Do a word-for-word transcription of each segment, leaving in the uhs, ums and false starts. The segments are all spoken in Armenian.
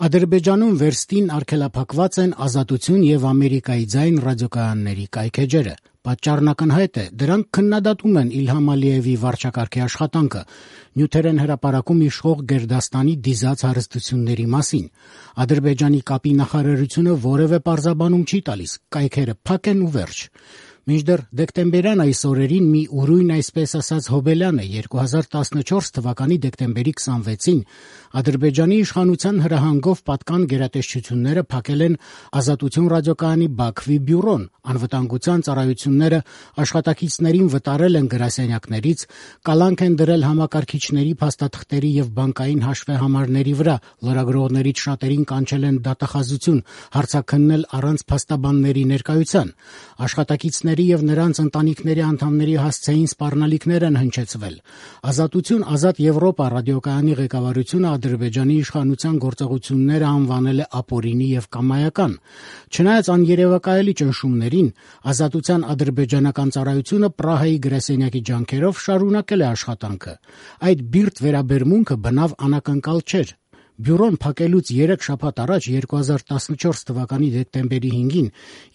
Ադրբեջանում վերստին արգելափակված են Ազատություն եւ Ամերիկայի ձայն ռադիոկայանների կայքէջերը։ Պատճառն ակնհայտ է, դրանք քննադատում են Իլհամ Ալիևի վարչակարգի աշխատանքը, նյութերեն հրապարակում իշխող Գերդաստանի դիզած հարստությունների մասին։ Ադրբեջանի կապի նախարարությունը որևէ պարզաբանում չի տալիս, կայքերը փակ են ու վերջ։ Մինչդեռ դեկտեմբերյան այս օրերին մի ուրույն այսպես ասած հոբելյան է երկու հազար տասնչորս թվականի դեկտեմբերի քսանվեցին Ադրբեջանի իշխանության հրահանգով պատկան գերատեսչությունները փակել են Ազատություն ռադիոկայանի Բաքվի բյուրոն, անվտանգության ծառայությունները աշխատակիցներին վտարել են գրասենյակներից, կալանք են դրել համակարգիչների, փաստաթղթերի եւ բանկային հաշվեհամարների վրա, լրագրողներից շատերին կանչել են դատախազություն, հարցաքննել առանց փաստաբանների ներկայության, աշխատակիցների եւ նրանց ընտանիքների անդամների հասցեին սպառնալիքներ են հնչեցվել։ Ազատություն ազատ Եվրոպա ռադիոկայանի ղեկավարությունը Ադրբեջանի իշխանության գործողությունները անվանել է ապօրինի եւ կամայական։ Չնայած աներևակայելի ճնշումներին, Ազատության ադրբեջանական ծառայությունը Պրահայի գրասենյակի ջանքերով շարունակել է աշխատանքը։ Այդ բիրտ վերաբերմունքը բնավ անակնկալ չէր։ Բյուրոն փակելուց երեք շաբաթ առաջ երկու հազար տասնչորս թվականի դեկտեմբերի հինգին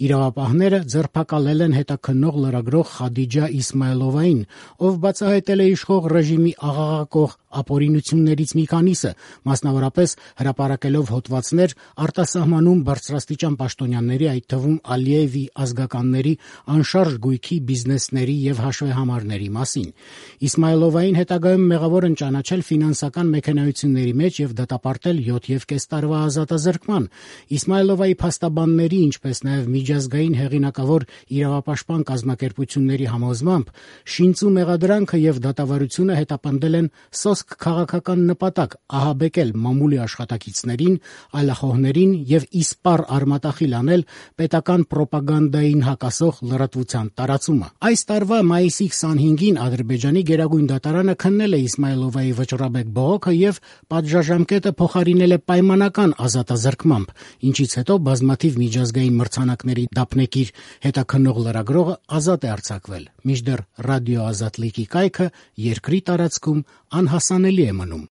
իրավապահները ձերբակալել են հետաքննող լրագրող Խադիջա Իսմայլովային, ով բացահայտել է իշխող ռեժիմի աղաղակող ապօրինություններից մի քանիսը, մասնավորապես հրապարակելով հոդվածներ արտասահմանում բարձրաստիճան պաշտոնյաների, այդ թվում Ալիևի ազգականների անշարժ գույքի, բիզնեսների եւ հաշվեհամարների մասին։ Իսմայլովային հետագայում մեղավոր են ճանաչել ֆինանսական մեքենայությունների մեջ եւ դատապարտել յոթ եւ կես տարվա ազատազրկման։ Իսմայլովայի փաստաբանների, ինչպես նաեւ միջազգային հեղինակավոր իրավապաշտպան կազմակերպությունների համոզմամբ շինծու մեղադրանքը եւ դատավարությունը հետապնդել են սոսկ քաղաքական նպատակ՝ ահաբեկել մամուլի աշխատակիցներին, այլախոհներին եւ իսպառ արմատախիլ անել պետական պրոպագանդային հակասող լրատվության տարածումը։ Այս տարվա մայիսի քսանհինգին Ադրբեջանի գերագույն դատարանը քննել է Իսմայլովայի վճռաբեկ բողոքը եւ պատժաժամկետը փոխարինել է պայմանական ազատազրկմամբ, ինչից հետո բազմաթիվ միջազգային մրցանակների դափնեկիր հետաքննող լրագրողը ազատ է արձակվել, մինչդեռ ռադիո Ազատլիկի կայքը երկրի տարածքում անհասանելի է մնում։